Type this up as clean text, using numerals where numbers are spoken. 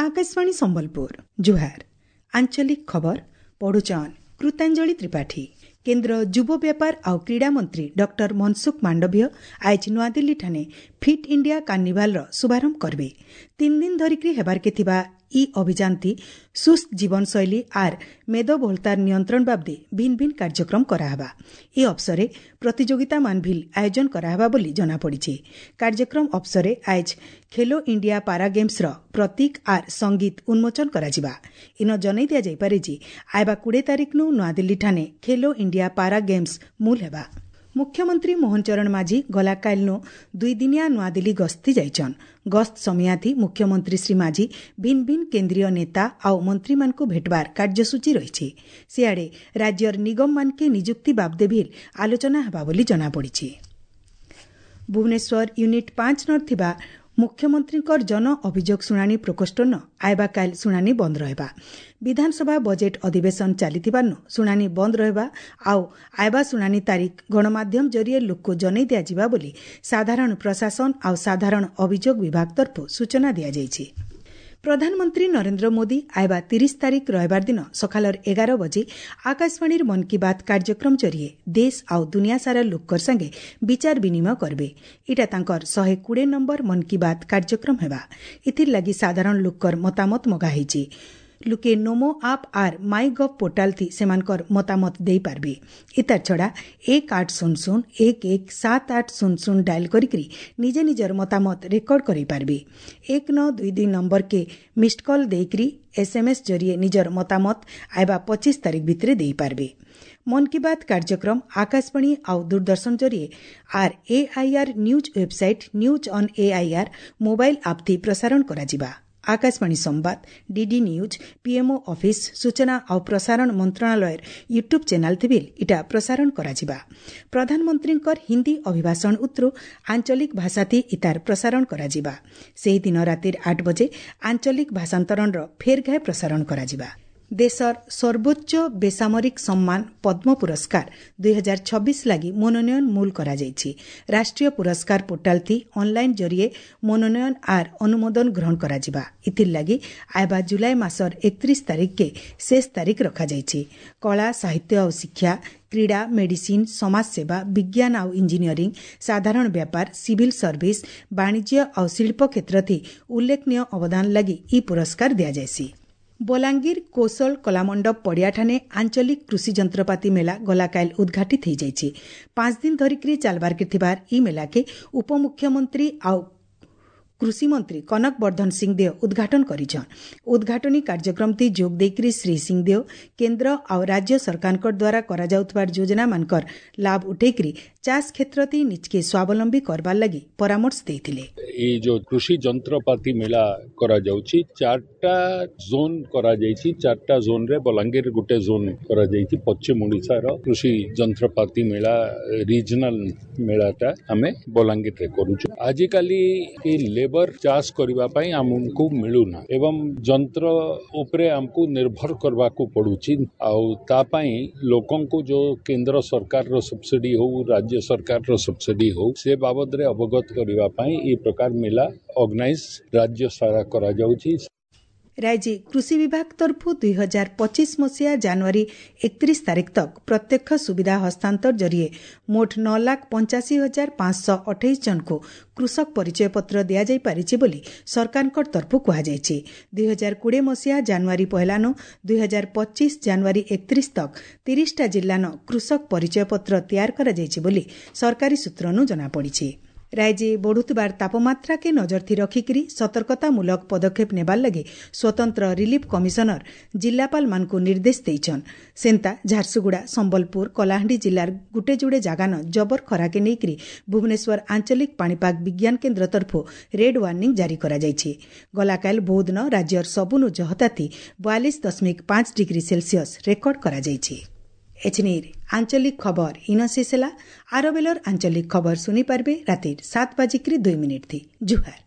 Akashvani Sambalpur ଜୁହାର। ଆଞ୍ଚଳିକ ଖବର ପଢୁଛନ୍ କୃତାଞ୍ଜଳି ତ୍ରିପାଠୀ। କେନ୍ଦ୍ର ଯୁବ ବ୍ୟାପାର ଆଉ କ୍ରୀଡ଼ା ମନ୍ତ୍ରୀ ଡକ୍ଟର ମନସୁଖ ମାଣ୍ଡଭୀୟ ଆଏଜ୍ ନୂଆଦିଲ୍ଲୀଠାନେ ଫିଟ୍ ଇଣ୍ଡିଆ କାର୍ନିଭାଲ୍ର ଶୁଭାରମ୍ଭ କରିବେ। 3 ଦିନ ଧରିକି ହେବାର୍କେ ଥିବା ଇ ଅଭିଯାନଥି ସୁସ୍ଥ ଜୀବନଶୈଳୀ ଆର୍ ମେଦବହୁଳତାର ନିୟନ୍ତ୍ରଣ ବାବଦେ ଭିନ୍ ଭିନ୍ କାର୍ଯ୍ୟକ୍ରମ କରାହେବା। ଏ ଅବସରେ ପ୍ରତିଯୋଗିତାମାନ ଭିଲ୍ ଆୟୋଜନ କରାହେବା ବୋଲି ଜଣାପଡ଼ିଛି। କାର୍ଯ୍ୟକ୍ରମ ଅବସରେ ଆଏଜ୍ ଖେଲୋ ଇଣ୍ଡିଆ ପାରା ଗେମ୍ସର ପ୍ରତୀକ ଆର୍ ସଙ୍ଗୀତ ଉନ୍ମୋଚନ କରାଯିବା। ଇନ ଜଣାଇ ଦିଆଯାଇପାରେ ଯେ ଆଇବା 20 ତାରିଖନୁ ନୂଆଦିଲ୍ଲୀଠାନେ ଖେଲୋ ଇଣ୍ଡିଆ ପାରା ଗେମ୍ସ ମୂଲ ହେବା। ମୁଖ୍ୟମନ୍ତ୍ରୀ ମୋହନ ଚରଣ ମାଝୀ ଗଲାକାଲିନୁ 2 ଦିନିଆ ନୂଆଦିଲ୍ଲୀ ଗସ୍ତି ଯାଇଛନ୍। ଗସ୍ତ ସମୟାଥି ମୁଖ୍ୟମନ୍ତ୍ରୀ ଶ୍ରୀ ମାଝୀ ଭିନ୍ ଭିନ୍ କେନ୍ଦ୍ରୀୟ ନେତା ଆଉ ମନ୍ତ୍ରୀମାନଙ୍କୁ ଭେଟବାର କାର୍ଯ୍ୟସୂଚୀ ରହିଛି। ସିଆଡ଼େ ରାଜ୍ୟର ନିଗମମାନକେ ନିଯୁକ୍ତି ବାବଦେ ଭିଲ୍ ଆଲୋଚନା ହେବା ବୋଲି ଜଣାପଡ଼ିଛି। ଭୁବନେଶ୍ୱର ୟୁନିଟ୍ 5 ନ ଥିବା ମୁଖ୍ୟମନ୍ତ୍ରୀଙ୍କର ଜନ ଅଭିଯୋଗ ଶୁଣାଣି ପ୍ରକୋଷ୍ଠନ ଆଇବା କାଲ ଶୁଣାଣି ବନ୍ଦ ରହିବା। ବିଧାନସଭା ବଜେଟ୍ ଅଧିବେଶନ ଚାଲିଥିବାରୁ ଶୁଣାଣି ବନ୍ଦ ରହିବା ଆଉ ଆଇବା ଶୁଣାଣି ତାରିଖ ଗଣମାଧ୍ୟମ ଜରିଏ ଲୋକକୁ ଜଣାଇ ଦିଆଯିବା ବୋଲି ସାଧାରଣ ପ୍ରଶାସନ ଆଉ ସାଧାରଣ ଅଭିଯୋଗ ବିଭାଗ ତରଫରୁ ସୂଚନା ଦିଆଯାଇଛି। ପ୍ରଧାନମନ୍ତ୍ରୀ ନରେନ୍ଦ୍ର ମୋଦି ଆଇବା 30 ତାରିଖ ରବିବାର ଦିନ ସକାଳର 11 ବଜେ ଆକାଶବାଣୀର ମନ୍ କି ବାତ୍ କାର୍ଯ୍ୟକ୍ରମ ଜରିଏ ଦେଶ ଆଉ ଦୁନିଆ ସାରା ଲୋକର ସାଙ୍ଗେ ବିଚାର ବିନିମୟ କରିବେ। ଏଇଟା ତାଙ୍କର 120 ନମ୍ବର ମନ୍ କି ବାତ୍ କାର୍ଯ୍ୟକ୍ରମ ହେବା। ଏଥିର୍ ଲାଗି ସାଧାରଣ ଲୋକର ମତାମତ ମଗା ହେଇଛି। ଲୁକେ ନମୋ ଆପ୍ ଆର୍ ମାଇ ଗଭ୍ ପୋର୍ଟାଲ ଥି ସେମାନଙ୍କର ମତାମତ ଦେଇପାରିବେ। ଇତାର ଛଡ଼ା 1800 11 7800 ଡାଏଲ୍ କରିକି ନିଜେ ନିଜର ମତାମତ ରେକର୍ଡ କରିପାରିବେ। 1922 ନମ୍ବରକେ ମିସ୍ଡ କଲ୍ ଦେଇକରି ଏସ୍ଏମ୍ଏସ୍ ଜରିଏ ନିଜର ମତାମତ ଆଇବା 25 ତାରିଖ ଭିତରେ ଦେଇପାରିବେ। ମନ୍ କି ବାତ୍ କାର୍ଯ୍ୟକ୍ରମ ଆକାଶବାଣୀ ଆଉ ଦୂରଦର୍ଶନ ଜରିଏ ଆର୍ AIR news website, news on AIR mobile app ଥି ପ୍ରସାରଣ କରାଯିବା। ଆକାଶବାଣୀ ସମ୍ବାଦ, ଡିଡି ନ୍ୟୁଜ୍, ପିଏମ୍ଓ ଅଫିସ୍, ସୂଚନା ଆଉ ପ୍ରସାରଣ ମନ୍ତ୍ରଣାଳୟର ୟୁଟ୍ୟୁବ୍ ଚ୍ୟାନେଲ୍ ଥି ବିଲ୍ ଇଟା ପ୍ରସାରଣ କରାଯିବା। ପ୍ରଧାନମନ୍ତ୍ରୀଙ୍କର ହିନ୍ଦୀ ଅଭିଭାଷଣ ଉତ୍ରୁ ଆଞ୍ଚଳିକ ଭାଷାଥି ଇତାର ପ୍ରସାରଣ କରାଯିବା। ସେହିଦିନ ରାତିର 8 ବଜେ ଆଞ୍ଚଳିକ ଭାଷାନ୍ତରଣର ଫେର୍ ଘାଏ ପ୍ରସାରଣ କରାଯିବା। ଦେଶର ସର୍ବୋଚ୍ଚ ବେସାମରିକ ସମ୍ମାନ ପଦ୍ମ ପୁରସ୍କାର 2026 ଲାଗି ମନୋନୟନ ମୂଲ କରାଯାଇଛି। ରାଷ୍ଟ୍ରୀୟ ପୁରସ୍କାର ପୋର୍ଟାଲ ଥି ଅନ୍ଲାଇନ୍ ଜରିଏ ମନୋନୟନ ଆର୍ ଅନୁମୋଦନ ଗ୍ରହଣ କରାଯିବା। ଏଥିର୍ ଲାଗି ଆଇବା ଜୁଲାଇ ମାସର 31 ତାରିଖକେ ଶେଷ ତାରିଖ ରଖାଯାଇଛି। କଳା, ସାହିତ୍ୟ ଆଉ ଶିକ୍ଷା, କ୍ରୀଡ଼ା, ମେଡିସିନ୍, ସମାଜସେବା, ବିଜ୍ଞାନ ଆଉ ଇଞ୍ଜିନିୟରିଂ, ସାଧାରଣ ବ୍ୟାପାର, ସିଭିଲ୍ ସର୍ଭିସ, ବାଣିଜ୍ୟ ଆଉ ଶିଳ୍ପ କ୍ଷେତ୍ରଥି ଉଲ୍ଲେଖନୀୟ ଅବଦାନ ଲାଗି ଇ ପୁରସ୍କାର ଦିଆଯାଏସି। ବଲାଙ୍ଗୀର କୌଶଳ କଲାମଣ୍ଡପ ପଡ଼ିଆଠାନେ ଆଞ୍ଚଳିକ କୃଷି ଯନ୍ତ୍ରପାତି ମେଳା ଗଲାକାଲ ଉଦ୍ଘାଟିତ ହୋଇଯାଇଛି। 5 ଦିନ ଧରିକି ଚାଲବାର୍କେ ଥିବାର ଇ ମେଳାକେ ଉପମୁଖ୍ୟମନ୍ତ୍ରୀ ଆଉ କୃଷିମନ୍ତ୍ରୀ କନକ ବର୍ଦ୍ଧନ ସିଂଦେଓ ଉଦ୍ଘାଟନ କରିଛନ୍। ଉଦ୍ଘାଟନୀ କାର୍ଯ୍ୟକ୍ରମଟି ଯୋଗ ଦେଇକରି ଶ୍ରୀ ସିଂଦେଓ କେନ୍ଦ୍ର ଆଉ ରାଜ୍ୟ ସରକାରଙ୍କ ଦ୍ୱାରା କରାଯାଉଥିବା ଯୋଜନାମାନଙ୍କର ଲାଭ ଉଠେଇକରି ଚାଷ କ୍ଷେତ୍ରତି ନିଜକେ ସ୍ୱାବଲମ୍ବୀ କରବାର ଲାଗି ପରାମର୍ଶ ଦେଇଥିଲେ। ଏଇ ଯୋଉ କୃଷି ଯନ୍ତ୍ରପାତି ମେଳା କରାଯାଉଛି, 4ଟା ଜୋନ୍ କରାଯାଇଛି। 4ଟା ଜୋନ୍ରେ ବଲାଙ୍ଗୀର ଗୋଟେ ଜୋନ୍ କରାଯାଇଛି। ପଶ୍ଚିମ ଓଡ଼ିଶାର କୃଷି ଯନ୍ତ୍ରପାତି ମେଳା ରିଜନାଲ ମେଳାଟା ଆମେ ବଲାଙ୍ଗୀରରେ କରୁଛୁ। ଆଜିକାଲି ଏ ଲେବର ଚାଷ କରିବା ପାଇଁ ଆମକୁ ମିଳୁନା ଏବଂ ଯନ୍ତ୍ର ଉପରେ ଆମକୁ ନିର୍ଭର କରିବାକୁ ପଡୁଛି। ଆଉ ତା ପାଇଁ ଲୋକଙ୍କୁ ଯୋଉ କେନ୍ଦ୍ର ସରକାରର ସବସିଡି ହଉ, ରାଜ୍ୟ ସରକାରର ସବସିଡି ହଉ, ସେ ବାବଦରେ ଅବଗତ କରିବା ପାଇଁ ଏ ପ୍ରକାର ମେଳା ଅର୍ଗାନାଇଜ ରାଜ୍ୟ ସାରା କରାଯାଉଛି। ରାଜ୍ୟ କୃଷି ବିଭାଗ ତରଫରୁ 2025 ମସିହା ଜାନୁଆରୀ 31 ତାରିଖ ତକ ପ୍ରତ୍ୟକ୍ଷ ସୁବିଧା ହସ୍ତାନ୍ତର ଜରିଏ ମୋଟ 9,85,528 ଜଣଙ୍କୁ କୃଷକ ପରିଚୟ ପତ୍ର ଦିଆଯାଇପାରିଛି ବୋଲି ସରକାରଙ୍କ ତରଫରୁ କୁହାଯାଇଛି। 2020 ମସିହା ଜାନୁଆରୀ 1ନୁ 2025 ଜାନୁଆରୀ 31 ତକ 30ଟା ଜିଲ୍ଲାନ କୃଷକ ପରିଚୟ ପତ୍ର ତିଆର କରାଯାଇଛି ବୋଲି ସରକାରୀ ସୂତ୍ରନୁ ଜଣାପଡ଼ିଛି। ରାଜ୍ୟ ବଢ଼ୁଥିବାର ତାପମାତ୍ରାକେ ନଜରଥି ରଖିକିରି ସତର୍କତାମୂଳକ ପଦକ୍ଷେପ ନେବାର ଲାଗି ସ୍ୱତନ୍ତ୍ର ରିଲିଫ୍ କମିଶନର ଜିଲ୍ଲାପାଳମାନଙ୍କୁ ନିର୍ଦ୍ଦେଶ ଦେଇଛନ୍। ସେନ୍ତା ଝାରସୁଗୁଡ଼ା, ସମ୍ବଲପୁର, କଳାହାଣ୍ଡି ଜିଲ୍ଲାର ଗୁଟେ ଯୁଡ଼େ ଜାଗାନ ଜବର ଖରାକେ ନେଇକରି ଭୁବନେଶ୍ୱର ଆଞ୍ଚଳିକ ପାଣିପାଗ ବିଜ୍ଞାନ କେନ୍ଦ୍ର ତରଫରୁ ରେଡ୍ ୱାର୍ଣ୍ଣିଂ ଜାରି କରାଯାଇଛି। ଗଲାକାଲ ବୌଦ୍ଧନ ରାଜ୍ୟର ସବୁନୁ ଜହତାତି 42.5 ଡିଗ୍ରୀ ସେଲସିୟସ୍ ରେକର୍ଡ କରାଯାଇଛି। ଏଛିନିର ଆଞ୍ଚଳିକ ଖବର ଇନ ଶେଷ ହେଲା। ଆର ବେଲର ଆଞ୍ଚଳିକ ଖବର ଶୁଣିପାରିବେ ରାତିର 7:02 ଥି। ଜୁହାର।